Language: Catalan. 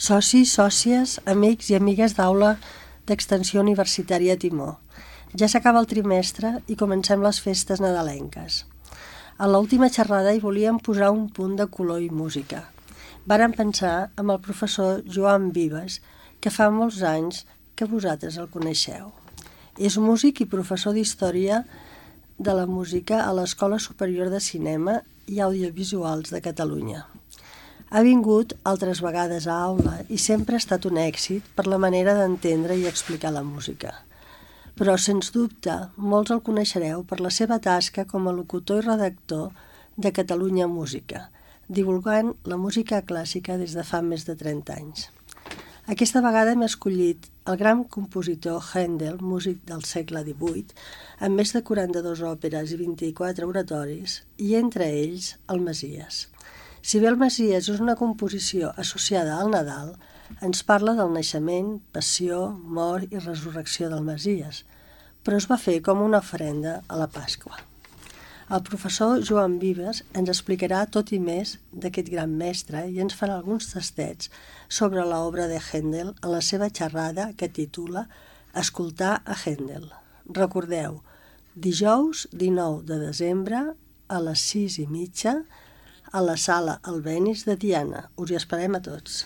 Socis, sòcies, amics i amigues d'aula d'Extensió Universitària Timó. Ja s'acaba el trimestre i comencem les festes nadalenques. A l'última xerrada hi volíem posar un punt de color i música. Vàrem pensar amb el professor Joan Vives, que fa molts anys que vosaltres el coneixeu. És músic i professor d'Història de la Música a l'Escola Superior de Cinema i Audiovisuals de Catalunya. Ha vingut altres vegades a aula i sempre ha estat un èxit per la manera d'entendre i explicar la música. Però, sens dubte, molts el coneixereu per la seva tasca com a locutor i redactor de Catalunya Música, divulgant la música clàssica des de fa més de 30 anys. Aquesta vegada hem escollit el gran compositor Händel, músic del segle XVIII, amb més de 42 òperes i 24 oratoris, i entre ells el Messies. Si bé el Messies és una composició associada al Nadal, ens parla del naixement, passió, mort i resurrecció del Messies, però es va fer com una ofrenda a la Pasqua. El professor Joan Vives ens explicarà tot i més d'aquest gran mestre i ens farà alguns tastets sobre l'obra de Händel en la seva xerrada que titula Escoltar a Händel. Recordeu, dijous 19 de desembre a les 6:30 a la sala Albéniz de Tiana. Us hi esperem a tots.